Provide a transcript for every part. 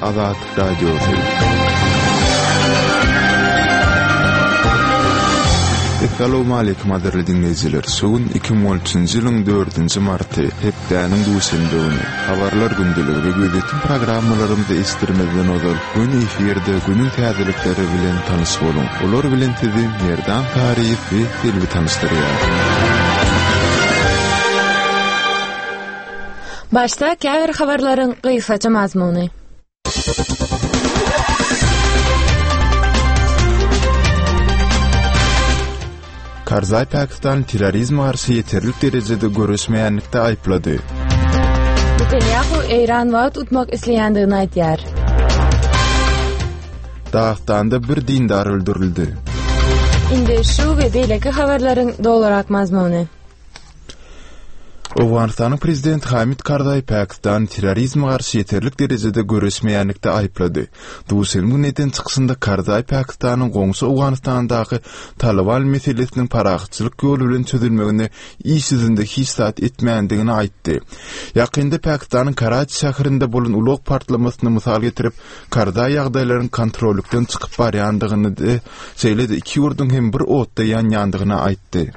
Azatlyk Radiosy. Essalawmaleýkim gadyrly diňleýjiler! Şu gün 2013-nji ýylyň dördünji marty, hepdäniň duşenbe güni. Habarlar gündeligi we gözýetim programmalarymyzy eşitdirmezden ozal, göni efirde günüň täzelikleri bilen tanyş boluň. Olar bilen sizi Merdan Saryýew we Selbi tanyşdyrýar. Başda käbir habarlaryň gysgaça mazmuny. Karzaý Pakistany terrorizme garşy ýeterlik derejede göreşmeýänlikde aýyplady. Netanýahu Eýran wagt utmak isleýändigini aýdýar. Dagystanda bir dindar öldürildi. Indi şu we beýleki habarlaryň dolurak mazmuny. Owganystanyň prezidenti Hamid Karzaý Pakistany terrorizme garşy ýeterlik derejede göreşmeýänlikde aýyplady. Duşenbe güni eden çykyşynda Karzaý Pakistanyň goňşy Owganystandaky Talyban meselesiniň parahatçylyk ýoly bilen çözülmeginde iş ýüzünde hiç zat etmändigini aýtdy. Ýakynda Pakistanyň Karaçi şäherinde bolan ulag partlamasyny mysal getirip, Karzaý ýagdaýlaryň kontrollykdan çykyp barýandygyny, şeýle-de iki ýurduň hem bir otda ýanýandygyny aýtdy.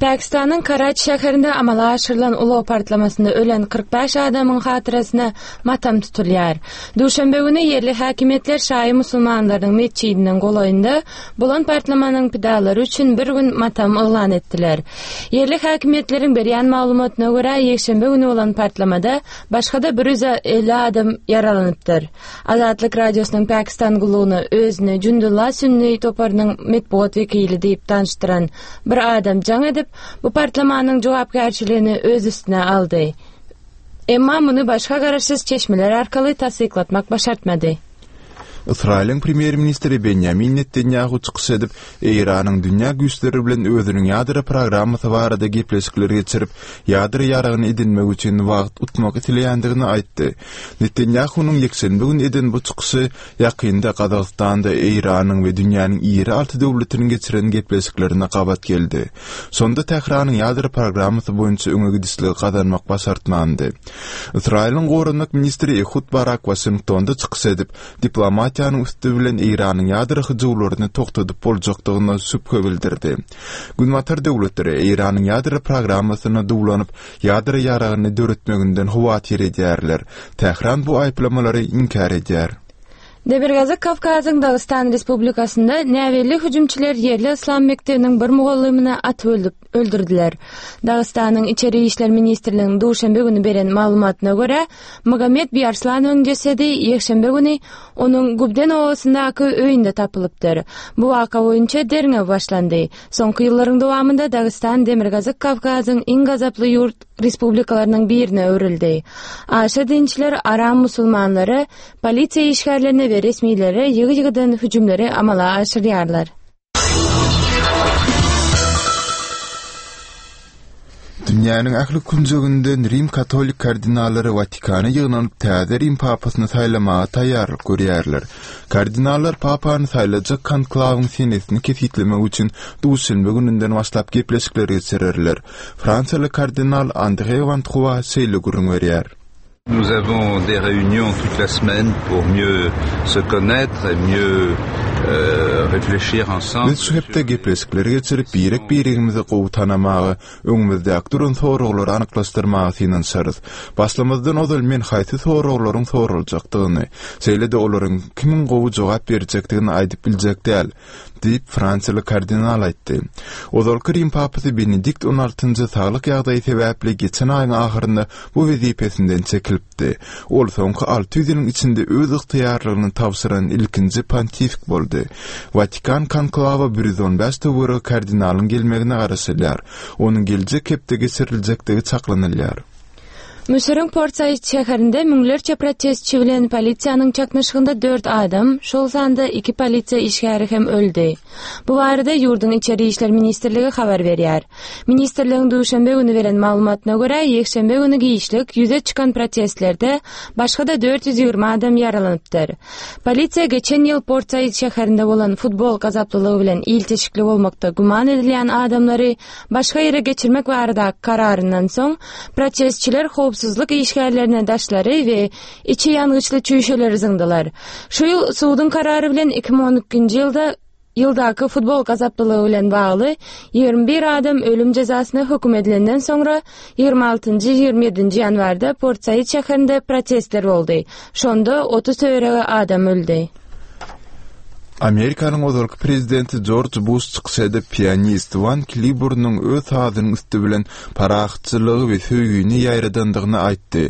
Pakistanyň Karaçi şäherinde amala aşyrylan ulag partlamasynda ölen 45 adamyň hatyrasyna matam tutulýar. Duşenbe güni ýerli häkimiýetler şaýy musulmanlarynyň metjidiniň golaýynda bolan partlamanyň pidalary üçin bir gün matam yglan etdiler. Ýerli häkimiýetleriň berýän maglumatyna görä, ýekşenbe güni bolan partlamada başga-da 150 adam ýaralanypdyr. Azatlyk Radiosynyň Pakistan gullugyna özüni Jundullah sünni toparynyň metbugat wekili diýip tanyşdyran bir adam jaň edip, bu partlamanyň jogapkärçiligini öz üstüne aldy. Emma muny başga garaşsyz çeşmeler arkaly tassyklatmak başartmady. Ysraýylyň premýer-ministri Benýamin Netanýahu çykyş edip, Eýranyň dünýä güýçleri bilen özüniň ýadro programmasy barada gepleşikler geçirip, ýadro ýaragyny edinmek üçin wagt utmak isleýändigini aýtdy. Netanýahunyň ýekşenbe güni eden bu çykyşy ýakynda Gazagystanda Eýranyň we dünýäniň iri alty döwletiniň geçiren gepleşiklerine gabat geldi. Şonda Tähranyň ýadro programmasy boýunça öňe gidişligi gazanmak başartmandy. Ysraýylyň goranmak ministri Ehud Barak Waşingtonda çykyş edip, diplomatiýanyň üsti bilen Eýranyň ýadro hyjuwlaryny togtadyp boljakdygyna şübhe bildirdi. Günbatar döwletleri Eýranyň ýadro programmasyna duwlanyp, ýadro ýaragyny döretmeginden howatyr edýärler. Tähran bu aýyplamalary inkär edýär. Demirgazyk Kawkazyň Dagystan Respublikasynda näbelli hüjümçiler ýerli yslam mekdebiniň bir mugallymyny atyp öldürdiler. Dagystanyň Içeri işler ministrliginiň duşenbe güni beren maglumatyna görä, Magomed Biarslanowyň jesedi ýekşenbe güni onuň Gubden obasyndaky öýünde tapylypdyr. Bu waka boýunça derňew başlandy. Soňky ýyllaryň dowamynda Dagystan Demirgazyk Kawkazyň iň gazaply ýurt respublikalarynyň birine öwrüldi. Aşa dinçiler aram musulmanlara, polisiýa işgärlerine we resmilere ýygy-ýygydan hüjümleri amala aşyrýarlar. Dünýäniň ähli künjeginden rim katolik kardinallary Watikana ýygnanyp täze rim papasyny saýlamaga taýýarlyk görýärler. Kardinallar papany saýlajak konklawyň senesini kesgitlemek üçin duşenbe gününden başlap gepleşikler geçirerler. Fransiýaly kardinal Andre Wantrua şeýle gürrüň berýär. Nous avons des réunions toute la semaine pour mieux se connaître et mieux euh, réfléchir ensemble. Biz şu hepde gepleşikleri geçirip, birek-biregimizi gowy tanamaga, öňümizdäki duran soraglary anyklaşdyrmaga synanyşarys. Başlamazdan ozal men haýsy soraglaryň soraljakdygyny, şeýle-de olaryň kimiň gowy jogap berjekdigini aýdyp biljek däl. Diýip, fransiýaly kardinal aýtdy. Ozalky Rim papasy Benedikt on altynjy saglyk ýagdaýy sebäpli geçen aýyň ahyrynda bu wezipesinden çekilipdi. Ol soňky 600 ýylyň içinde öz ygtyýarlygyny tabşyran ilkinji pontifik boldy. Watikan konklawa 115 töweregi kardinalyň gelmegine garaşylýar. Onuň geljek hepde geçiriljekdigi çaklanylýar. Müsüriň Port Said şäherinde müňlerçe protestçi bilen polisiýanyň çaknyşygynda dört adam, şol sanda iki polisiýa işgäri hem öldi. Bu barada ýurduň Içeri işler ministrligi habar berýär. Ministrligiň duşenbe güni beren maglumatyna görä, ýekşenbe güni giçlik ýüze çykan protestlerde başga-da 420 adam ýaralanypdyr. Polisiýa geçen ýyl Port Said şäherinde bolan futbol gazaplylygy bilen ilteşikli bolmakda güman edilýän adamlary başga ýere geçirmek baradaky kararyndan soň, protestçiler howpsuz. howpsuzlyk işgärlerine daşlary we içi ýangyçly çüýşeleri zyňdylar. Şu ýyl suduň karary bilen 2012-nji ýylda ýyldaky futbol gazaplylygy bilen bagly 21 adam ölüm jezasyna höküm edilenden soňra 26-njy, 27-nji ýanwarda Port-Said şäherinde protestler boldy. Şonda 30 töweregi adam öldi. Amerikanyň ozalky prezidenti Jorj Buş çykyş edip, pianist Wan Kliburnyň öz sazynyň üsti bilen parahatçylygy we söýgini ýaýradandygyny aýtdy.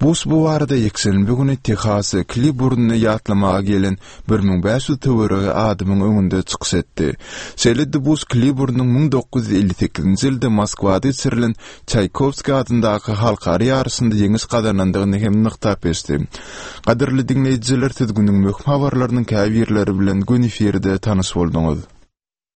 Buş bu barada ýekşenbe güni Tehasa Kliburny ýatlamaga gelen 1500 töweregi adamyň öňünde çykyş etdi. Şeýle-de Buş Kliburnyň 1958-nji ýylda Moskwada geçirilen Çaýkowskiý adyndaky halkara ýaryşynda ýeňiş gazanandygyny hem nygtap geçdi. Gadyrly diňleýjiler siz günüň möhüm habarlarynyň käbirleri bilen göni efirde tanyş bolduňyz.